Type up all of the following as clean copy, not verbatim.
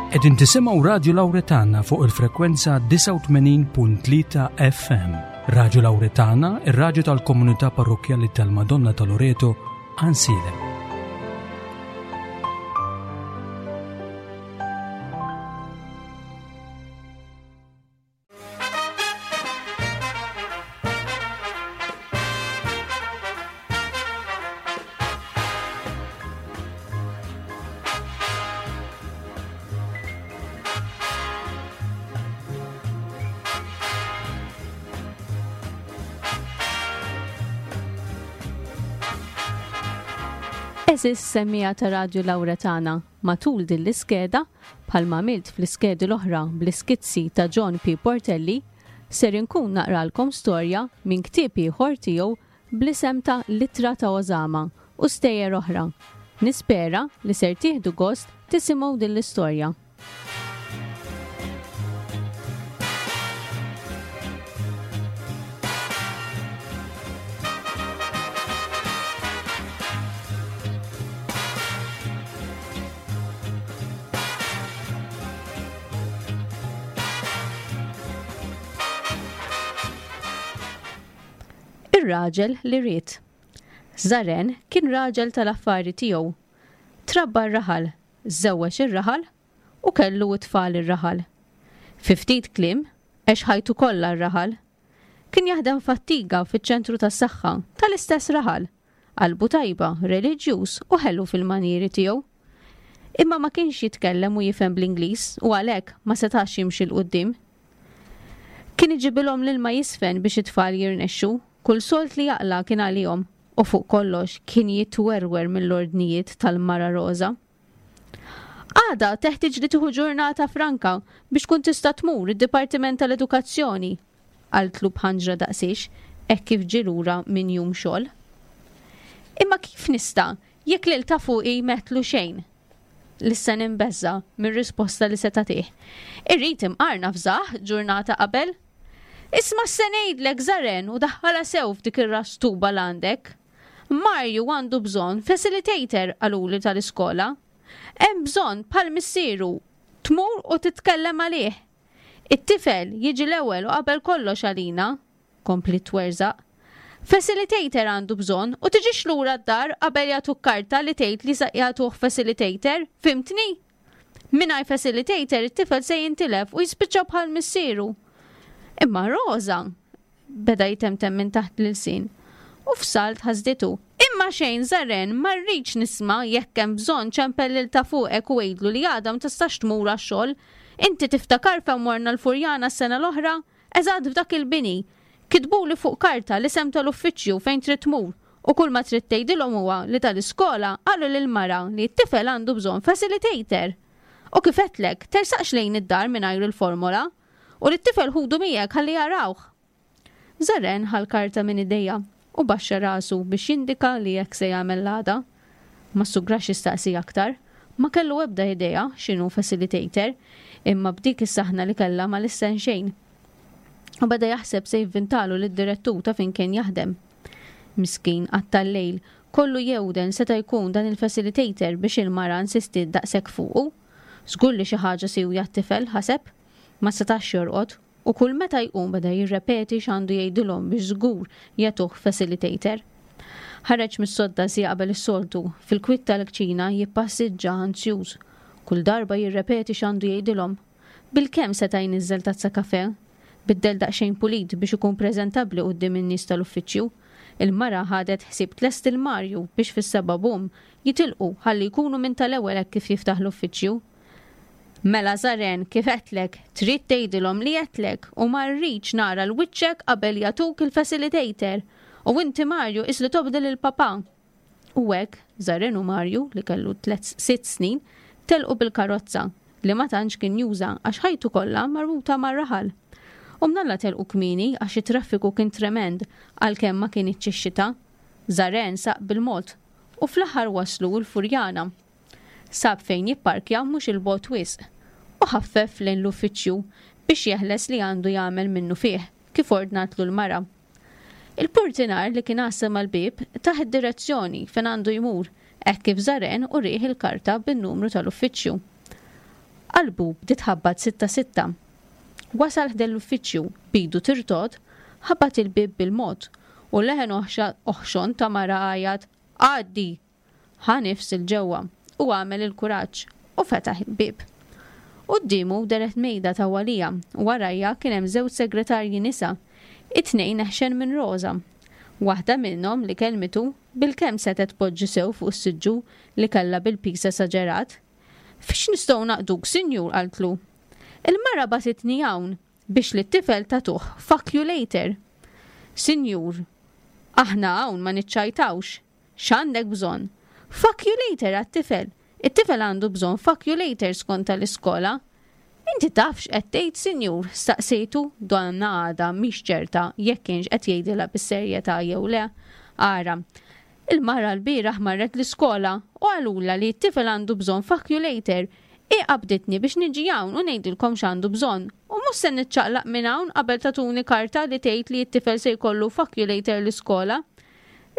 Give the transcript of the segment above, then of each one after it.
Qegħdin tisimgħu Radju Lawretana fuq il-frekwenza 89.3 FM. Radju Lawretana, ir-radju tal-komunità parrokkjali tal-Madonna ta' Loreto, Ansilem. Eżis semmija ta' Radju Lawretana matul din l-iskeda Bħalma għamilt fl-iskedi l-oħra bl-iskizzi ta' John P. Portelli, ser inkun naqralkom storja minn ktieb ieħor tiegħu bl-isem ta' L-Ittra ta' Osama u Stejjer Oħra. Nispera li ser tieħdu gost tisimgħu din l-istorja. Ir-raġel li ried. Zaren kien raġel tal-affari tiegħu. Trabba r-raħal, żewweġ ir-raħal u kellu t-tfal ir-raħal. Fi ftit kliem, għex ħajtu kollha r-raħal. Kien jaħdem f'attiga fiċ-ċentru tas-saħħa tal-istess raħal. Qalbu tajba, reliġjuż u ħelu fil-manjieri tiegħu. Imma ma kienx jitkellem u jifhem bl-Ingliż u għalhekk ma setax jimxi 'l quddiem. Kien iġibilhom l-ilma jiżfen biex it-tfal jirnexxu, kull sold li jaqla' kien għalihom u fuq kollox kien jitwerwer mill-ordnijiet tal-mara Roża. Għada teħtieġ li tieħu ġurnata franka biex tkun tista' tmur id-Dipartiment tal-Edukazzjoni, qaltlu b'ħanġra daqsiex hekk kif ġie lura minn jum xogħol. Imma kif nista' jekk lil ta' fuqi m'għedtlu xejn? Lissen imbeżża' mir-risposta li se tagħtih. Irrid imqar nafżah ġurnata qabel. Isma' x'se ngħidlek, Żaren, u daħħalha sew f'dik ir-ras tuba l-għandek. Marju għandu bżonn facilitator qaluli tal-iskola. Hemm bżonn bħal missieru tmur u titkellem għalih. It-tifel jiġi l-ewwel u qabel kollox għalina, kompliet twerżaq. Facilitator għandu bżonn u tiġix lura d-dar qabel jagħtuk karta li tgħid li se jagħtuh facilitator, fhimtni? Mingħajr facilitator it-tifel se jintilef u jispiċċa bħal missieru. Imma Rosa, Beda jtemtem minn taħt l-ilsien. U f'salt ħasditu. Imma xejn, Żaren, ma rridx nisma' jekk hemm bżonn ċempel lil ta' fuqek u għidlu li għada ma tistax tmur għax-xogħol. Inti tiftakar fejn morna l-Furjana s-sena l-oħra? Eżatt f'dak il-bini. Kitbuli fuq karta l-isem tal-uffiċċju fejn trid tmur u kulma trid tgħidilhom huwa li tal-iskola qalu lill-mara li t-tifel għandu bżonn facilitator. U kif għedtlek, tersaqx lejn id-dar mingħajr il-formola. U lit-tifel ħudu miegħek ħalli jarawh! Zaren ħa l-karta minn idejha u baxxa rasu biex jindika li hekk se jagħmel l-għada. Ma ssugrax jistaqsi aktar. Ma kellu ebda idea x'inhu facilitator, imma b'dik is-saħna li kellha ma lissen xejn. U beda jaħseb se jivvintalu lid-direttur ta' fejn kien jaħdem. Miskin, qatta' l-lejl kollu jewden seta' jkun dan il-facilitator biex il-mara insistiet daqshekk fuqu. Żgur li xi ħaġa siwja t-tifel, ħaseb. Ma setax jorqod, u kull meta jqum beda jirrepeti x'għandu jgħidilhom biex żgur jagħtuh facilitator. Ħareġ mis-sodda siegħa qabel is-soltu, fil-kwiet tal-kċina jippassiġġa anzjuż. Kull darba jirrepeti x'għandu jgħidilhom. Bilkemm seta' jniżżel tazza kafè. Biddel daqsxejn pulit biex ikun preżentabbli quddiem in-nies tal-uffiċċju. Il-mara ħadet ħsieb tlesti l-Marju biex fis-sebgħa bum jitilqu ħalli jkunu minn tal-ewwel hekk kif jiftaħ l-uffiċċju. Mela Żaren, kif għedtlek, trid tgħidilhom li għedtlek u ma rridx nara l-wiċċek qabel jagħtuk il-facilitator. U inti Marju qis li tobdi lil papà. U hekk, Żaren u Marju, li kellu tlett sitt snin, telqu bil-karozza, li ma tantx kien juża għax ħajtu kollha marbuta mar-raħal. U mnalla telqu kmieni għax it-traffiku kien tremend għalkemm ma kinitx ix-xita. Żaren saq bil-mod u fl-aħħar waslu l-Furjana. Sab fejn jipparkja mhux 'il bogħod wisq u ħaffef lejn l-uffiċċju biex jeħles li għandu jagħmel minnufih kif ordnatlu l-mara. Il-purtinar li kien għassa mal-bieb tah id-direzzjoni fejn għandu jmur hekk kif Żaren urieh il-karta bin-numru tal-uffiċċju. Qalbu bdiet tħabbat sitta sitta. Wasal ħdejn l-uffiċċju, b'idu tirtogħod, ħabat il-bieb bil-mod, u leħen oħxon ta' mara għajat, Għaddi! Ħa nifs 'il ġewwa u għamel il-kuraġġ u fetaħ il-bieb. Quddiemu dehret mejda tawwalija u warajha kien hemm żewġ segretarji nisa, it-tnejn eħxen minn Rosa. Waħda minnhom li kellmitu bilkemm setgħet tpoġġi sew fuq is-siġġu li kellha bil-piż esaġerat. Fiex nistgħu naqduk, sinjur? qaltlu. Il-mara bagħtitni hawn biex lit-tifel tagħtuh fuck you later. Sinjur, aħna hawn ma niċċajtawx. X'għandek bżonn? Fuck you later għat-tifel. It-tifel għandu bżonn fuck you later skont tal-iskola. Inti taf x'qed tgħid, sinjur? staqsejtu, donna għadha mhix ċerta jekk kienx qed jgħidilha bis-serjetà jew le. Ara, il-mara lbieraħ marret l-iskola u qalulha li t-tifel għandu bżonn fuck you later. Hi qabditni biex niġi hawn u ngħidilkom x'għandu bżonn. U mhux se niċċaqlaq minn hawn qabel tagħtuni karta li tgħid li t-tifel se jkollu fuck you later l-iskola.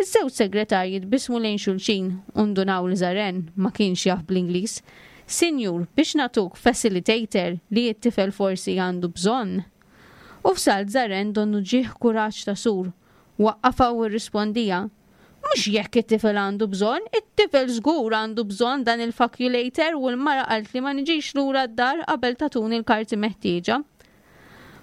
Iż-żewġ segretarji tbissmu lejn xulxin u ndunaw li Zaren ma kienx jaf bl-Ingliż. Sinjur, biex nagħtuk facilitator li t-tifel forsi għandu bżonn. U f'salt Zaren donnu ġieh kuraġġ ta' sur. Waqqafha u rrispondiha, Mhux jekk it-tifel għandu bżonn, it-tifel żgur għandu bżonn dan il-faculator u l-mara qaltli ma niġix lura d-dar qabel tagħtuni l-karti meħtieġa.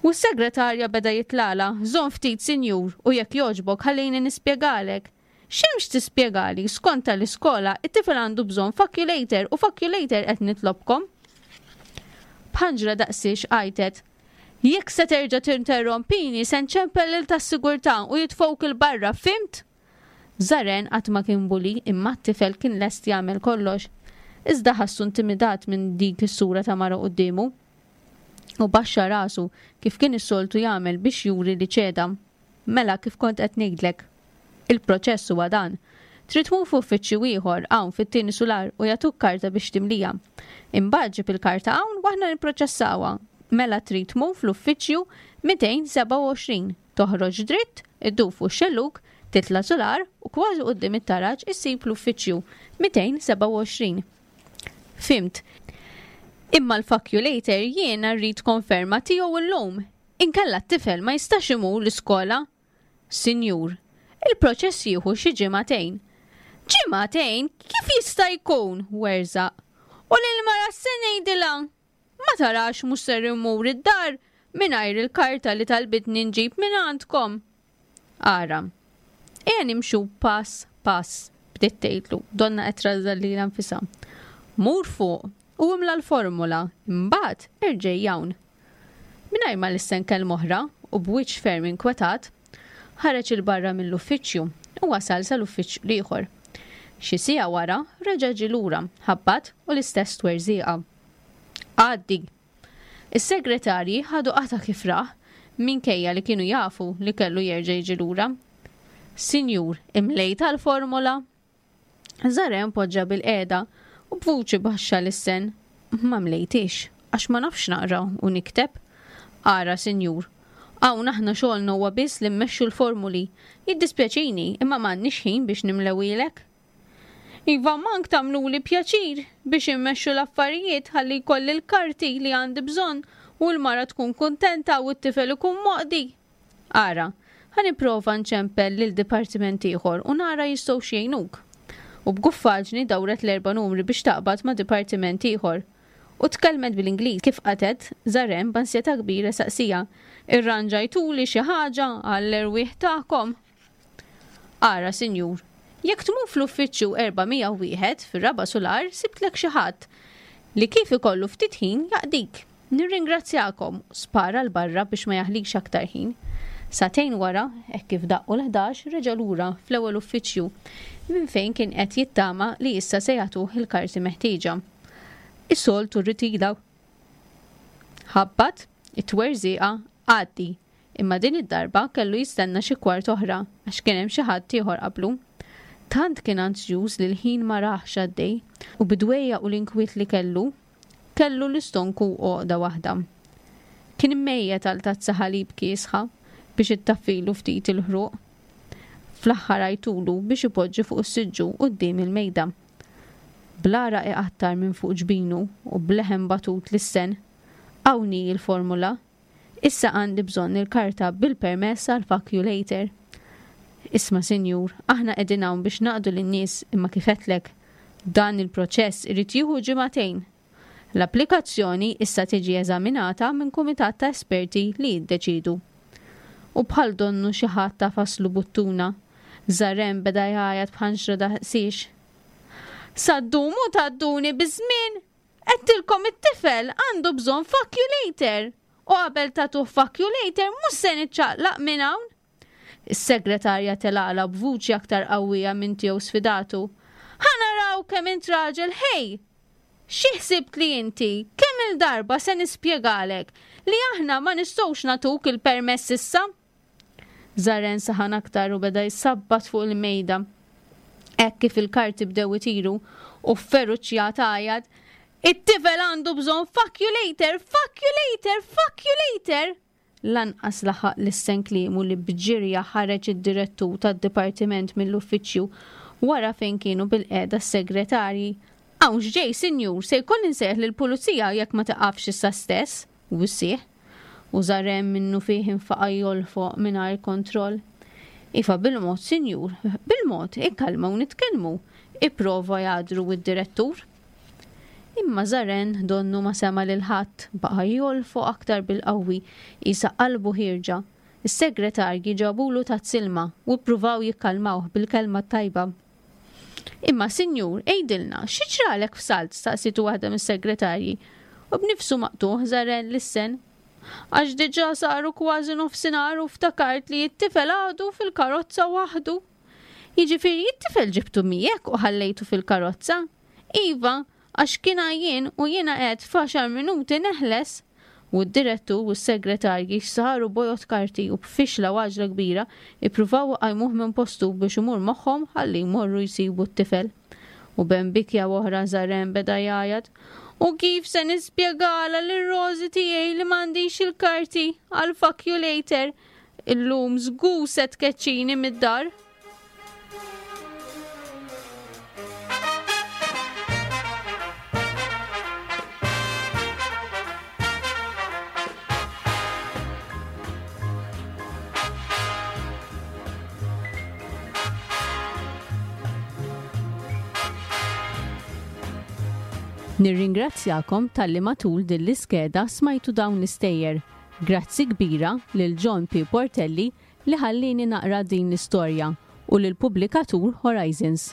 U s-segretarja beda jitlagħlha, Żomm ftit, sinjur, u jekk jogħġbok ħallini nispjegalek. X'hemm x'tispjegali, skont tal-iskola, it-tifel għandu bżonn faculator u faculator qed nitlobkom. B'ħanġra daqsiex għajtet, Jekk se terġa' tinterrompini se nċempel lil tas-sigurtà u jitfgħuk 'il barra, fhimt? Zaren qatt ma kien bully imma t-tifel kien lest jagħmel kollox. Iżda ħassu intimidat minn dik is-sura ta' mara quddiemu. U baxxa rasu kif kien is-soltu jagħmel biex juri li ċeda. Mela kif kont qed ngħidlek. Il-proċess huwa dan. Trid tmur f'uffiċċju ieħor hawn fit-tieni sular u jagħtuk karta biex timlija. Imbagħad ġib il-karta hawn u aħna nipproċessawha. Mela trid tmur fl-uffiċċju 227, toħroġ dritt, iddur fuq ix-xellug, titla' sular u kważi quddiem it-taraġ issib l-uffiċċju 227. Fhimt. Imma l-fuck-you-later jiena rrid konferma tiegħu llum. Inkella t-tifel ma jistax imur l-iskola. Sinjur, il-proċess jieħu xi ġimagħtejn. Ġimagħtejn? Kif jista' jkun? werżaq. U lill-mara x'se ngħidilha? Ma tarax mhux ser immur id-dar mingħajr il-karta li talbitni nġib mingħandkom. Ara. Ejja nimxu pass pass, bdiet tgħidlu, donnha qed trażżan lilha nfisha. Mur fuq u imla l-formula, imbagħad erġej hawn. Mingħajr ma lissen kelma oħra u b'wiċċ ferm inkwetat, ħareġ 'il barra mill-uffiċċju u wasal sal-uffiċċju l-ieħor. Xi siegħa wara reġa' ġie lura, ħabbat u l-istess twerżieqa. Għaddi! Is-segretarji ħadu qatgħa kif rah, minkejja li kienu jafu li kellu jerġa' jiġi lura. Sinjur, imlejtha l-formola? Żaren poġġa bilqiegħda u b'vuċi baxxa lissen, Ma mlejthiex, għax ma nafx naqra u nikteb. Ara, sinjur, hawn aħna xogħolna huwa biss li mmexxu l-formuli. Jiddispjaċini, imma m'għandniex ħin biex nimlewhielek. Iva mank tagħmluli pjaċir biex immexxu l-affarijiet ħalli jkolli l-karti li għandi bżonn u l-mara tkun kuntenta u t-tifel ikun moqdi. Ara, ħa nipprova nċempel lil dipartiment ieħor u nara jistgħux jgħinuk. U b'guffaġni dawret l-erba' numri biex taqbad ma' dipartiment ieħor. U tkellmet bl-Ingliż kif qatgħet, Zarem b'ansjetà kbira saqsieha, Irranġajtuli xi ħaġa għall-erwieħ tagħkom? Ara, sinjur, jekk tmur fl-uffiċċju 401 fir-raba' sular sibtlek xi ħadd li kif ikollu ftit ħin jaqdik. Nirringrazzjakom, spara 'l barra biex ma jaħlix aktar ħin. Sagħtejn wara, hekk kif daqqu l-ħdax, reġa' lura fl-ewwel uffiċċju minn fejn kien qed jittama li issa se jagħtuh il-karti meħtieġa. Is-soltu rritila. Ħabbat, it-twerżieqa, għaddi. Imma din id-darba kellu jistenna xi kwart oħra għax kien hemm xi ħadd ieħor qablu. Tant kien anzjuż li l-ħin ma rahx għaddej u bid-dwejjaq u l-inkwiet li kellu, kellu l-istonku għoqda waħda. Kien mejjet għal tazza ħalib kiesħa biex ittaffilu ftit il-ħruq. Fl-aħħar għajtulu biex ipoġġi fuq is-siġġu quddiem il-mejda. Bl-għaraq iqattar minn fuq ġbinu u b'leħen batut lissen, Hawn hi l-formula. Issa għandi bżonn il-karta bil-permess għall-fuck you later. Isma' sinjur, aħna qegħdin hawn biex naqdu lin-nies imma kif għedtlek, dan il-proċess irid jieħu ġimagħtejn. L-applikazzjoni issa tiġi eżaminata minn kumitat ta' esperti li jiddeċiedu. U bħal donnu xi ħadd għafaslu buttuna, Zarem beda jgħajjat b'ħanxra daqsiex. Sa ddumu tgħadduni biż-żmien! Għedtilkom it-tifel għandu bżonn fuck you later! U qabel tagħtuh fuck you later mhux se niċċaqlaq minn hawn! Is-segretarja telgħalha b'vuċi aktar qawwija minn tiegħu sfidatu. Ħa naraw kemm int raġel ħej! Xi ħsibt li inti? Kemm-il darba se nispjegalek li aħna ma nistgħux nagħtuk il-permess issa? Zaren saħan aktar u beda jsabbat fuq il-mejda. Hekk kif il-karti bdew itiru u f'feruċjat għajat, It-tifel għandu bżonn fuck you later, fuck you later, fuck you later! Lanqas laħaq lissen kliemu li b'ġirja ħareġ id-direttur tad-dipartiment mill-uffiċċju wara fejn kienu bilqiegħda s-segretarji. Hawn x'ġej, sinjur, se jkolli nsejjaħ lill-pulizija jekk ma tiqafx issa stess! Wissieh, u Zarem minnufih infaqa' jolfoq mingħajr kontroll. Iva, bil-mod, sinjur, bil-mod, ikkalma u nitkellmu, ipprova jagħdru d-direttur. Imma Zaren donnu ma sema' lil ħadd, baqa' jolfoq aktar bil-qawwi, qisha qalbu ħierġa. Is-segretarji ġabulu tazz ilma u ppruvaw jikkalmawh bil-kelma t-tajba. Imma, sinjur, għidilna, xi ġralek f'salt? staqsietu waħda mis-segretarji. U b'nifsu maqtugħ Zarel lissen. Għax diġà saru kważi nofsinhar u ftakart li t-tifel għadu fil-karozza waħdu. Jiġifieri t-tifel ġibtu miegħek u ħallejtu fil-karozza? Iva, Għax kien għajjien u jiena għedt f'għaxar minuti neħles! U d-direttur u s-segretarji saru bojod karti u b'fixla u għaġla kbira ippruvaw iqajmuh minn postu biex imur magħhom ħalli jmorru jsibu t-tifel. U bejn bikja u oħra Zarem beda jgħajjat, U kif se nispjegalha lil Rosie tiegħi li m'għandix il-karti għal fuck you later? Illum żgur se tkeċċini mid-dar! Nirringrazzjakom talli matul din l-iskeda smajtu dawn l-istejjer. Grazzi kbira lil John P. Portelli li ħallieni naqra din l-istorja u lill-pubblikatur Horizons.